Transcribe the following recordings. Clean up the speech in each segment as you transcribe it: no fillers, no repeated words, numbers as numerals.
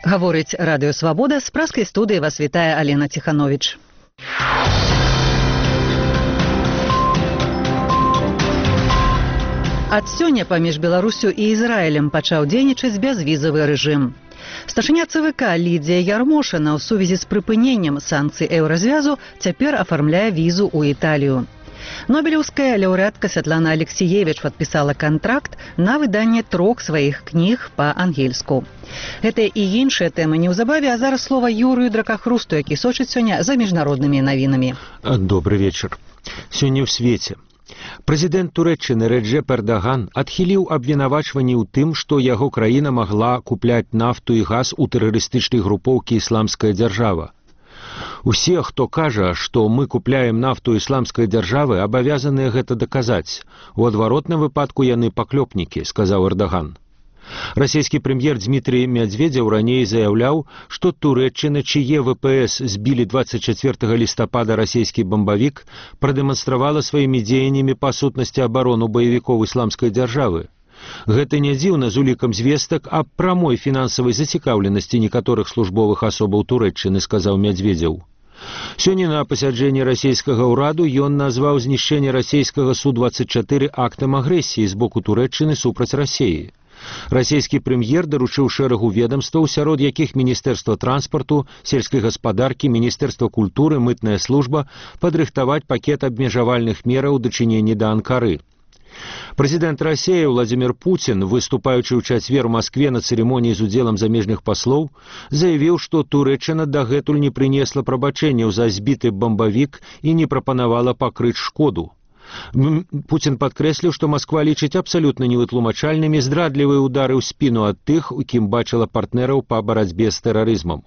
Гаворыць Радыё Свабода, з праскай студыі вас вітае Алена Ціхановіч. Ад сёння паміж Беларусю і Ізраілем пачаў дзейнічаць бязвізавы рэжым. Старшыня ЦВК Лідзія Ярмошына ў сувязі з прыпыненнем санкцый еўразвязу цяпер афармляе візу ў Італію. Нобелеўская лаўрэатка Святлана Алексіевіч падпісала кантракт на выданне 3 сваіх кніг па-ангельску. Гэтыя і іншыя тэмы неўзабаве, а зараз слова Юрыю Дракахрусту, які сочыць сёння за міжнароднымі навінамі. Добры вечар. Сёння ў свеце. Прэзідэнт Турэччыны Рэджэп Эрдаган адхіліў абвінавачванні ў тым, што яго краіна магла купляць нафту і газ у тэрарыстычнай групоўкі «Ісламская дзяржава». Усе, хто кажа, што мы купляем нафту ісламскай дзяржавы, абавязаныя гэта даказаць. У адваротным выпадку яны паклёпнікі, сказаў Эрдаган. Расійскі прэм'ер Дмітрий Медведзеў раней заяўляў, што Турэччына, чые ВПС збілі 24 лістапада расійскі бамбавік, прадэманстравала сваімі дзеяннямі па сутнасці абарону баевікоў ісламскай дзяржавы. Гэта не дзіўна з улікам звестак аб прамой фінансавай зацікаўленасці некаторых службовых асобаў Турэччыны, сказаў Медведзеў. Сёння на пасяджэнні расійскага ўраду ён назваў знішчэнне расійскага Су-24 актам агрэсіі з боку Турэччыны супраць Расіі. Расійскі прэм'ер даручыў шэрагу ведамстваў, сярод якіх Міністэрства транспарту, сельскай гаспадаркі, Міністэрства культуры, мытная служба, падрыхтаваць пакет абмежавальных мераў у дачыненні да Анкары. Прэзідэнт Расіі Владзімір Пуцін, выступаючы ў чацвер у Маскве на цырымоніі з удзелам замежных паслоў, заявіў, што Турэччына дагэтуль не прынесла прабачэнняў за збіты бамбавік і не прапанавала пакрыць шкоду. Пуцін падкрэсліў, што Масква лічыць абсалютна невытлумачальнымі здрадлівыя ўдары ў спіну ад тых, у кім бачыла партнераў па барацьбе з тэрарызмам.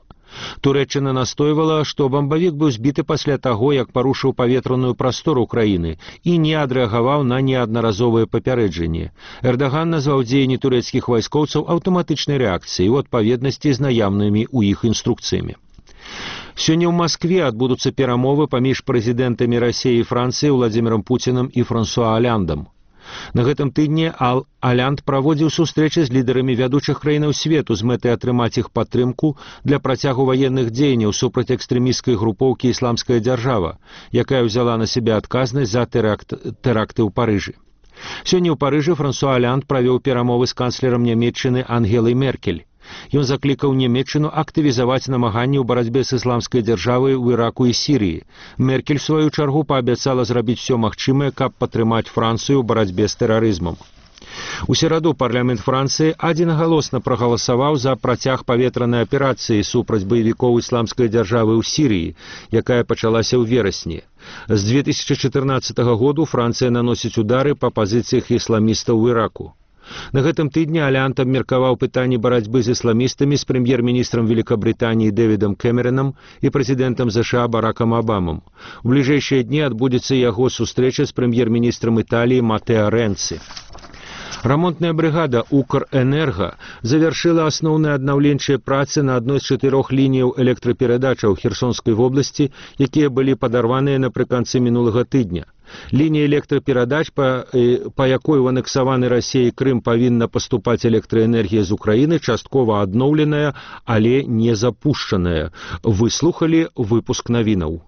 Турэччына настойвала, што бамбавік быў збіты пасля таго, як парушыў паветраную прастору краіны і не адрэагаваў на неаднаразовыя папярэджанні. Эрдаган назваў дзеянні турэцкіх вайскоўцаў аўтаматычнай рэакцыяй у адпаведнасці з наяўнымі ў іх інструкцыямі. Сёння ў Маскве адбудуцца перамовы паміж прэзідэнтамі Расіі і Францыі Владзімірам Пуцінам і Франсуа Аляндам. На гэтым тыдні Алянд праводзіў сустрэчы з лідарамі вядучых краінаў свету з мэтай атрымаць іх падтрымку для працягу ваенных дзеянняў супраць экстрэмісцкай групоўкі «Ісламская дзяржава», якая ўзяла на сябе адказнасць за тэракты ў Парыжы. Сёння ў Парыжы Франсуа Алянд правёў перамовы з канцлерам Нямецчыны Ангелай Меркель. Ён заклікаў Нямецчыну актывізаваць намаганні ў барацьбе з ісламскай дзяржавай у Іраку і Сірыі. Меркель, у сваю чаргу, паабяцала зрабіць усё магчымае, каб падтрымаць Францыю ў барацьбе з тэрарызмам. У сераду парламент Францыі адзінагалосна прагаласаваў за працяг паветранай аперацыі супраць баевікоў ісламскай дзяржавы ў Сірыі, якая пачалася ў верасні. З 2014 году Францыя наносіць удары па пазіцыях ісламістаў у Іраку. На гэтым тыдні Алянд абмеркаваў пытанні барацьбы з ісламістамі з прэм'ер-міністрам Великабрытаніі Дэвідам Кэмеранам і прэзідэнтам ЗША Баракам Абамам. У бліжэйшыя дні адбудзецца яго сустрэча з прэм'ер-міністрам Італіі Матэа Рэнцы. Рамонтная брыгада «Укрэнерга» завяршыла асноўныя аднаўленчыя працы на адной з 4 лініяў электраперадачаў Херсонскай вобласці, якія былі падарваныя напрыканцы мінулага тыдня. Лінія электраперадач, па якой у анексаваны Расіяй Крым павінна паступаць электраэнергія з Украіны, часткова адноўленая, але не запушчаная. Выслухалі выпуск навінаў.